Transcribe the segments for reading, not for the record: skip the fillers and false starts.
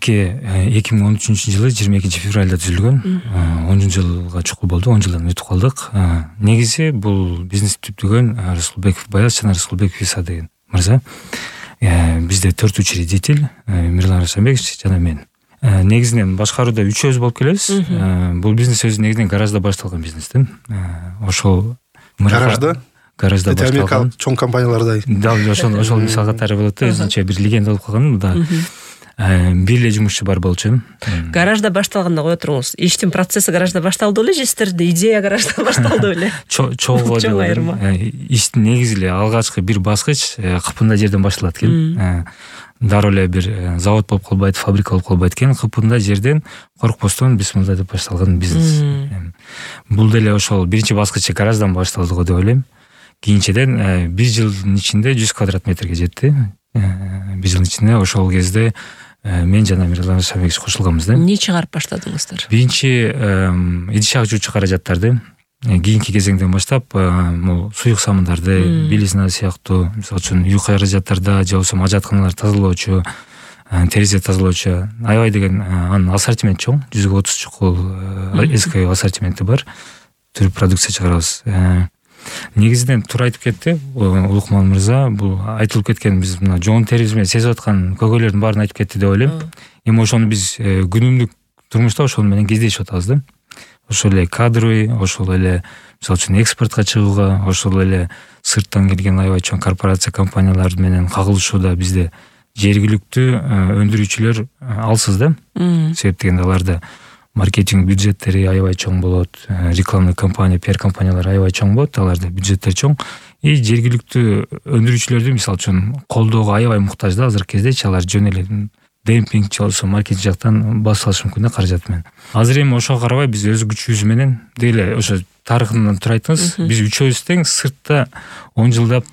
Мерке 2013-жылы 22 февралда түзүлгөн. 10 жылга чукул болду, 10 жылдан өтүп калдык. Негизи бул бизнести түптөгөн Расулбеков Баяз жана Расулбеков Иса деген мырза. Бизде 4 учредитель, Мирлан Расулбекович жана мен. Негизинен башкарууда үчөөбүз болуп келебиз. Бул бизнес өзү негизинен гаражда башталган бизнес да. Ошол гаражда башталган. Америкалык чоң компаниялардай. Да, ошол мисал катары болот да, өзүнчө бир легенда болуп калган да. Бир эле жумушчу бар болчу. Гаражда башталганда кое туруңуз. Иштин процесси гаражда башталды беле же сиздерде идея гаражда башталды беле? Чоң айырма. Иштин негизи эле алгачкы бир баскыч Кыпында жерден башталат экен. Дароо эле бир завод болуп калбайт, фабрика болуп калбайт экен. Кыпында жерден коркпостон бисмилла деп башталган бизнес. Бул деле ошол биринчи баскычы гараждан башталды го деп ойлойм. Кийинчеден 1 жылдын ичинде 100 квадрат метрге жетти. 1 жылдын ичинде ошол кезде мен жана Мирлан Расулбекович кошулганбыз да. Эмне чыгарып баштадыңыздар? Биринчи идиш агчуучу каражаттарды, кийинки кезеңден баштап могу суюк самындарды, белизна сыяктуу, мисалы үчүн үй каражаттарда же болбосо ажатканалар тазалоочу, терезе тазалоочу, аябай деген анын ассортименти чоң, 130 чукул SKU ассортименти бар. Түр продукция чыгарабыз. Негизинен туура айтып кетти Улукман мырза. Бул айтылып кеткен биз мына жоон терибиз менен сезип аткан көйгөйлөрдүн баарын айтып кетти деп ойлойм. Эми ошону биз күнүмдүк турмушта ошол менен кездешип атабыз да. Ошол эле кадровый, ошол эле мисалы үчүн экспортко чыгууга, ошол эле сырттан келген аябай чоң корпорация компаниялар менен кагылышууда бизде жергиликтүү өндүрүүчүлөр алсыз да. Себеп дегенде аларда маркетинг бюджеттери аябай чоң болот, рекламный компания, пиар компаниялар аябай чоң болот, аларда бюджеттер чоң. И жергиликтүү өндүрүүчүлөрдү мисалы үчүн колдоого аябай муктаж да азыркы кездечи. Алар жөн эле демпинг же болбосо маркетинг жактан басып алышы мүмкүн да каражат менен. Азыр эми ошого карабай биз өз күчүбүз менен дейле ошо тарыхынан тура айттыңыз. Биз үчөөбүз тең сыртта 10 жылдап,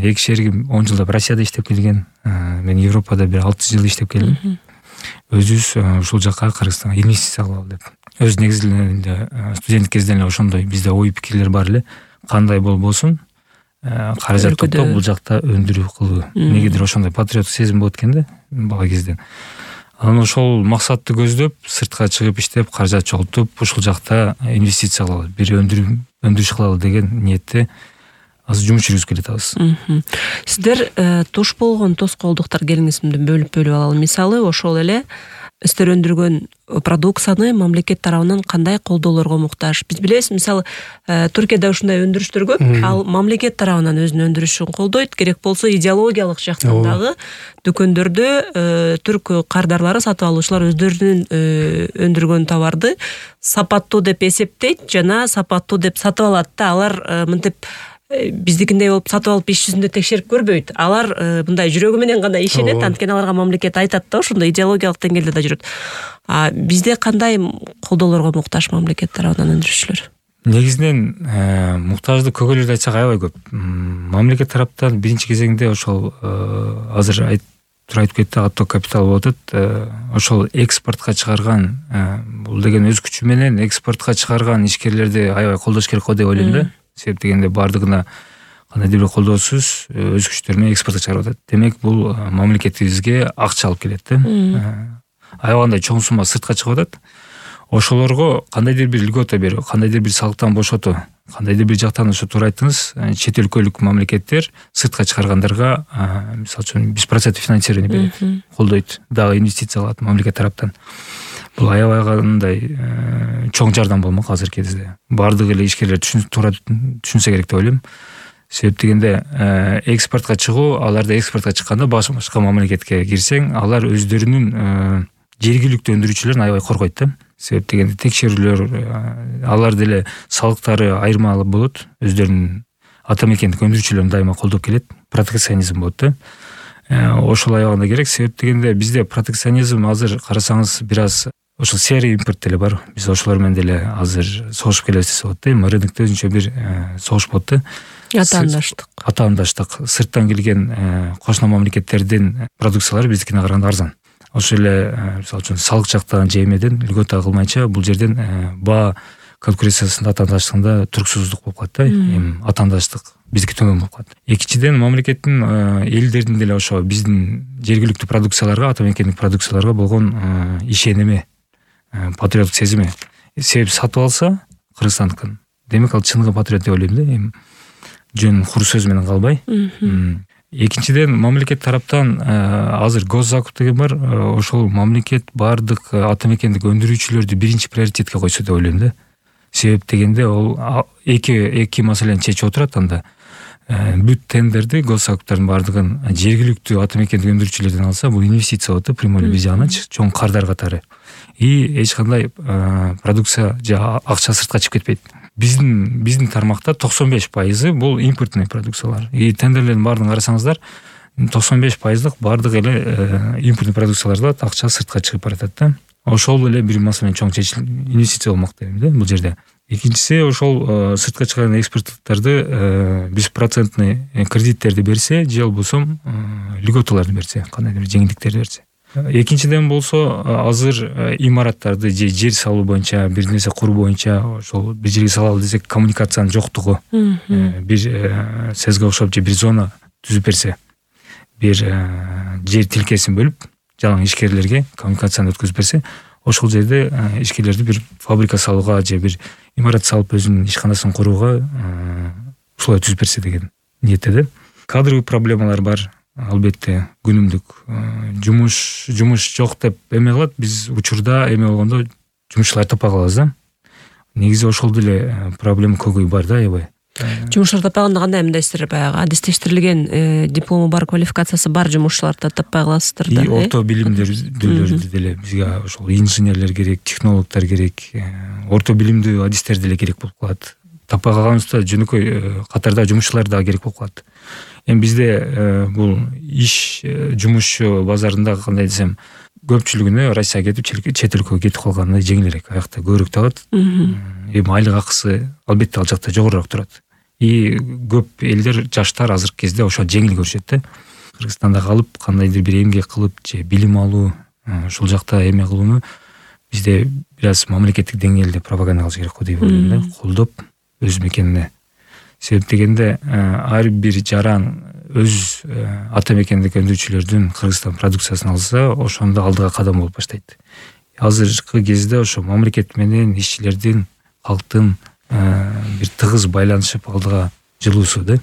эки шеригим 10 жылдап Россияда иштеп келген. Мен Европада бир 6 жыл иштеп келдим. Өзүбүз ушул жакка Кыргызстанга инвестиция кылалы деп. Өз негизинде студенттик кезден эле ошондой бизде ой пикирлер бар эле. Кандай болбосун каражат топтоп бул жакта өндүрүү кылуу. Негедир ошондой патриоттук сезим болот экен да бала кезден. Анан ошол максатты көздөп сыртка чыгып иштеп каражат чогултуп ушул жакта инвестиция кылалы, бир өндүрүш кылалы деген ниетте азыр жумуш жүргүзүп келатабыз. Сиздер туш болгон тоскоолдуктар келиңиз менен бөлүп алалы. Мисалы ошол эле сиздер өндүргөн продукцияны мамлекет тарабынан кандай колдоолорго муктаж? Биз билебиз, мисалы Түркияда ушундай өндүрүштөр көп, ал мамлекет тарабынан өзүнүн өндүрүшүн колдойт. Керек болсо идеологиялык жактан дагы дүкөндөрдө түрк кардарлары, сатып алуучулар өздөрүнүн өндүргөн товарды сапаттуу деп эсептейт жана сапаттуу деп сатып алат да. Алар мынтип биздикиндей болуп сатып алып иш жүзүндө текшерип көрбөйт. Алар мындай жүрөгү менен гана ишенет, анткени аларга мамлекет айтат да, ошондой идеологиялык деңгээлде да жүрөт. Бизде кандай колдоолорго муктаж мамлекет тарабынан өндүрүүчүлөр? Негизинен муктаждык көйгөйлөрдү айтсак аябай көп. Мамлекет тараптан биринчи кезеңде ошол азыр тура айтып кетти, отток капитал болуп атат. Ошол экспортко чыгарган, бул деген өз күчү менен экспортко чыгарган ишкерлерди аябай колдош керек го деп ойлойм да. Себеп дегенде бардыгына кандайдыр бир колдоосуз өз күчтөрү менен экспортко чыгарып атат. Демек бул мамлекетибизге акча алып келет да. Аябагандай чоң сумма сыртка чыгып атат. Ошолорго кандайдыр бир льгота берүү, кандайдыр бир салыктан бошотуу, кандайдыр бир жактан ошо туура айттыңыз, чет өлкөлүк мамлекеттер сыртка чыгаргандарга мисалы үчүн 100% финансирование берет, колдойт, дагы инвестиция кылат мамлекет тараптан. Бул аябай кандай чоң жардам болмок азыркы кезде. Бардык эле ишкерлер туура түшүнсө керек деп ойлойм. Себеп дегенде экспортко чыгуу, аларды экспортко чыкканда башка мамлекетке кирсең, алар өздөрүнүн жергиликтүү өндүрүүчүлөрүн аябай коргойт да. Себеп дегенде текшерүүлөр, алар деле салыктары айырмалуу болот, өздөрүнүн ата мекендик өндүрүүчүлөрүн дайыма колдоп келет, протекционизм болот да. Ошол аябагында керек. Себеп дегенде бизде протекционизм азыр карасаңыз бир аз ошол серый импорт деле бар. Биз ошолор менен деле азыр согушуп келебиз десе болот да. Рынокто өзүнчө бир согуш болот да. Атаандаштык. Сырттан келген кошуна мамлекеттердин продукциялары биздикине караганда арзан. Ошол эле мисалы үчүн салык жактан же эмеден льгота кылмайча бул жерден баа конкуренциясында атаандаштыгында туруксуздук болуп калат да, эми атаандаштык биздики төмөн болуп калат. Экинчиден, мамлекеттин элдердин деле ошо биздин жергиликтүү продукцияларга, ата мекендик продукцияларга болгон ишеними, патриоттук сезими. Себеп сатып алса Кыргызстандыкын, демек ал чыныгы патриот деп ойлойм да, эми жөн хур сөз менен калбай. Экинчиден, мамлекет тараптан азыр госзакуп деген бар, ошол мамлекет баардык ата мекендик өндүрүүчүлөрдү биринчи приоритетке койсо деп ойлойм да. Себеп дегенде ол эки маселени чечип отурат анда. Бүт тендерди, госзакуптардын баардыгын жергиликтүү ата мекендик өндүрүүчүлөрдөн алса, бул инвестиция болот да, прямой бир жагынан чоң кардар катары. И эч кандай продукция же акча сыртка чыгып кетпейт. Биздин тармакта 95% бул импортный продукциялар. И тендерлердин баардыгын карасаңыздар, 95% баардык эле импортный продукцияларда акча сыртка чыгып баратат да. Ошол эле бир маселени чоң чечилип, инвестиция болмок дейм да бул жерде. Экинчиси, ошол сыртка чыган экспорттуктарды 100% кредиттерди берсе, же болбосо льготаларды берсе, кандайдыр бир жеңилдиктерди берсе. Экинчиден болсо, азыр имараттарды же жер салуу боюнча, бир нерсе куруу боюнча ошол бир жерге салалы десек, коммуникациянын жоктугу, бир сезге окшоп же бир зона түзүп берсе, бир жер тилкесин бөлүп, жалаң ишкерлерге коммуникацияны өткөзүп берсе, ошол жерде ишкерлерди бир фабрика салууга же бир имарат салып өзүнүн ишканасын курууга условия түзүп берсе деген ниетте да. Кадровый проблемалар бар. Албетте, күнүмдүк жумуш жок деп эме кылат. Биз учурда эме болгондо жумушчулар таппай калабыз да. Негизи ошол деле проблема көбөй бар да, аябай. Жумуштар таппаганда кандай эмдейсиздер? Баягы адистештирилген диплому бар, квалификациясы бар жумушчуларды таппай каласыздар да. И орто билимдүүлөрдү деле бизге ошол инженерлер керек, технологдор керек, орто билимдүү адистер деле керек болуп калат. Таппай калганыбызда жөнөкөй катарда жумушчулар да керек болуп калат. Эми бизде бул иш жумушчу базарында кандай десем, көпчүлүгүнө Россияга кетип, чет өлкөгө кетип калганы жеңилирээк, аякта көбүрөөк табат. Эми айлык акысы албетте ал жакта жогорураак турат. И көп элдер, жаштар азыркы кезде ошо жеңил көрүшөт да. Кыргызстанда калып, кандайдыр бир эмгек кылып же билим алуу, ушул жакта эме кылууну бизде бир аз мамлекеттик деңгээлде пропаганда кылыш керек го деп ойлойм да, колдоп өз мекенине. Себеп дегенде ар бир жаран өз ата мекендик өндүрүүчүлөрдүн Кыргызстан продукциясын алса, ошондо алдыга кадам болуп баштайт. Азыркы кезде ошо мамлекет менен ишчилердин, калктын бир тыгыз байланышып алдыга жылуусу да.